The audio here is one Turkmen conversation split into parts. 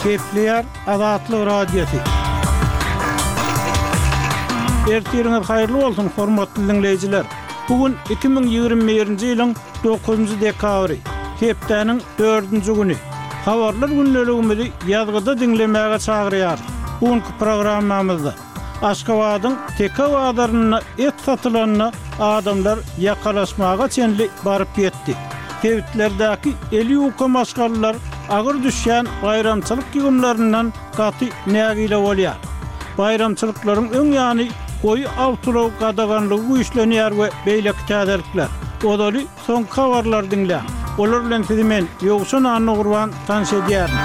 Gepleýär Azatlyk Radiosy. Ertiriňiz haýyrly bolsun, hormatly diňleýjiler! Bu gün 2021-nji ýylyň dokuzynjy dekabry, hepdäniň dördünji güni. Habarlar gündeligimizi ýazgyda diňlemäge çagyrýarys. Bu günki programmamyzda. Aşgabadyň Teke bazarynda et satylanda adamlar ýakalaşmaga çenli baryp ýetdi. Sebitlerdäki eli ýuka maşgalalar agyr düşýän baýramçylyk ýygymlaryndan gaty nägile bolýar. Baýramçylyklaryň öň ýany goýy awtoulag gadaganlygy güýçlenýär we beýleki täzelikler. Ozaly Soňky habarlary diňläň. Olar bilen sizi men, Ýowşan Annagurban, tanyş edýärin.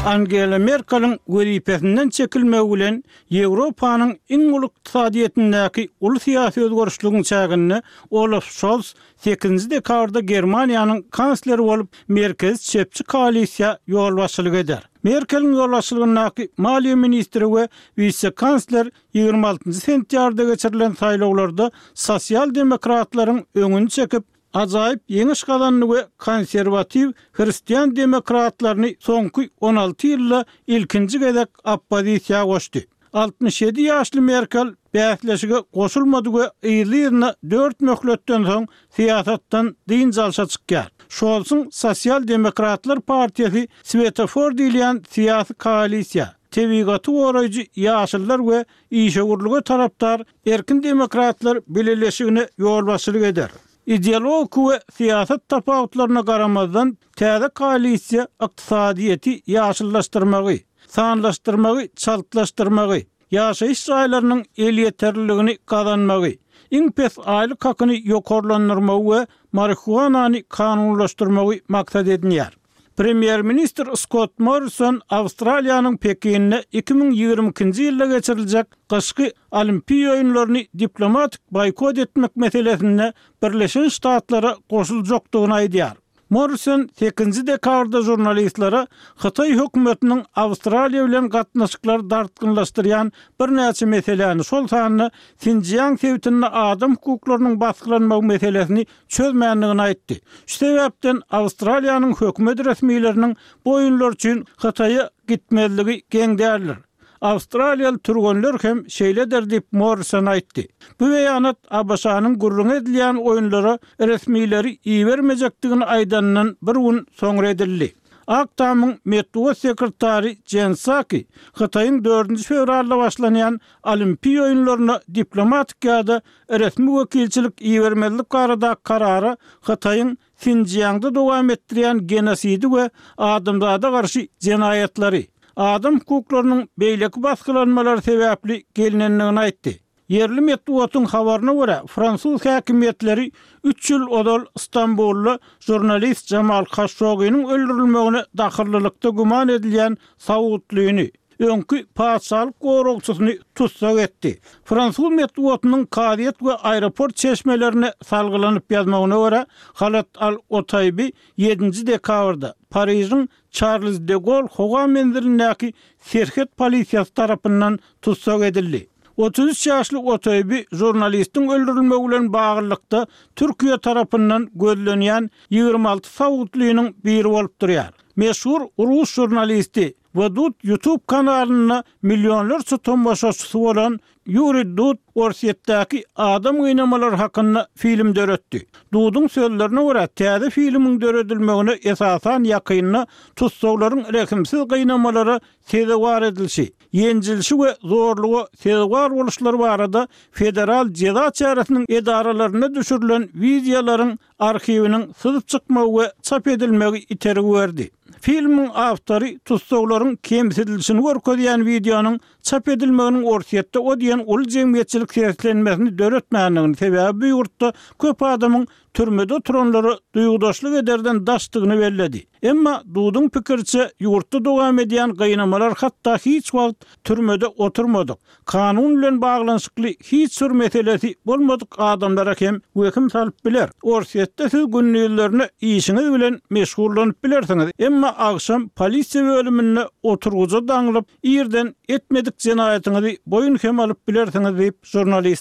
Angela Merkeliň wezipesinden çekilmegi bilen Ýewropanyň iň uly ykdysadyýetindäki uly syýasy özgerişligiň çäginde Olaf Şolz sekizinji dekabrda Germaniýanyň kansleri bolup merkezi çepçi koalisiýa ýolbaşçylyk eder. Merkeliň ýolbaşçylygyndaky maliýe ministri we wise-kansler 26 sentýabrda geçirilen saýlawlarda sosial-demokratlaryň öňüni çekip, ajaýyp ýeňiş gazandy we konserwatiw hristian demokratlaryny soňky 16 ýylda ilkinji gezek oppozisiýa goşdy. 67 ýaşly Merkel bäsleşige goşulmady we yzly-yzyna dört möhletden soň syýasatdan dynç alşa çykýar. Şolsuň Sosial-demokratlar partiýasy Swetofor diýilýän syýasy koalisiýa, tebigaty goraýjy Ýaşyllar we işewürlige tarapdar Erkin demokratlar bileleşigine ýolbaşçylyk eder. Ideologik we syýasat tapawutlaryna garamazdan, täze koalisiýa ykdysadyýeti ýaşyllaşdyrmagy, sanlaşdyrmagy çaltlaşdyrmagy, ýaşaýyş jaýlarynyň elýeterliligini gazanmagy, iň pes aýlyk hakyny ýokarlandyrmagy we marihuanany kanunlaşdyrmagy maksat edinýär. Premýer-ministr Skott Morrison Awstraliýanyň Pekinde 2022-nji ýylda geçiriljek gyşky Olimpiýa oýunlaryny diplomatik boýkot etmek meselesinde Birleşen Ştatlara goşuljakdygyny aýdýar. Morrison sekizinji dekabrda žurnalistlere hytaý hökümetiniň Awstraliýa bilen gatnaşyklary dartgynlaşdyrýan birnäçe meseläni, şol sanda Sinjiang sebitinde adam hukuklarynyň basgylanmagy meselesini çözmändigini aýtdy. Şu sebäpden Awstraliýanyň hökümet resmileriniň bu oýunlar üçin Hytaýa gitmezligi geň däldir. Awstraliýaly türgenler hem şeýle eder diýip, Morrison aýtdy. Bu beýanat ABŞ-nyň gürrüňi edilýän oýunlara resmileri ibermejekdigini aýdanyndan bir gün soňra edildi. Ak Tamyň metbugat sekretary Jen Psaki Hytaýyň dördünji fewralda başlanýan Olimpiýa oýunlaryna diplomatik ýa-da resmi wekilçilik ibermezlik baradaky karara Hytaýyň Sinjiangda dowam etdirýän genosidi we adamzada garşy jenaýatlary, adam hukuklarynyň beýleki basgylanmalary sebäpli gelnendigini aýtdy. Ýerli metbugatyň habaryna görä, fransuz häkimiýetleri üç ýyl ozal Stambulda žurnalist Jamal Kaşogynyň öldürilmegine dahyllylykda güman edilýän saudlyny, öňki patyşalyk goragçysyny tussag etdi. Fransuz metbugatynyň kazyýet we aeroport çeşmelerine salgylanyp ýazmagyna görä, Halat al-Otaýbi ýedinji dekabrda Parižiň Çarlz de Gol howa menzilindäki serhet polisiýasy tarapyndan tussag edildi. 33 ýaşly Otaýbi žurnalistiň öldürilmegi bilen baglylykda Türkiýe tarapyndan gözlenýän 26 saudlynyň biri bolup durýar. Meşhur rus žurnalisti we Dud YouTube kanalynda millionlarça tomaşaçysy bolan Ýuriý Dud Orsýetdäki adam gynamalary hakynda film döretdi. Duduň sözlerine görä, täze filmiň döredilmegine esasan ýakynda tussaglaryň rehimsiz gynamalara sezewar edilişi, ýenjilişi we zorluga sezewar boluşlary barada Federal jeza çäresiniň edaralarynda düşürilen wideolaryň arhiwiniň syzyp çykmagy we çap edilmegi itergi berdi. Filmiň awtory tussaglaryň kemsidilişini görkezýän wideonyň çap edilmeginiň Orsýetde o diýen uly jemgyýetçilik seslenmesini döretmändigini, sebäbi bu ýurtda köp adamyň türmede oturanlara duýgudaşlyk ederden daşdygyny belledi. Emma Duduň pikiriçe, ýurtda dowam edýän gynamalar hatda hiç wagt türmede oturmadyk, kanun bilen baglanyşykly hiç bir meselesi bolmadyk adamlara hem wehim salyp biler. Orsýetde siz gündizlerine işiňiz bilen meşgullanyp bilersiňiz, emma agşam polisiýa bölüminde oturgyja daňlyp, irden etmedik jenaýatyňyzy boýun hem alyp bilersiňiz diýip, žurnalist.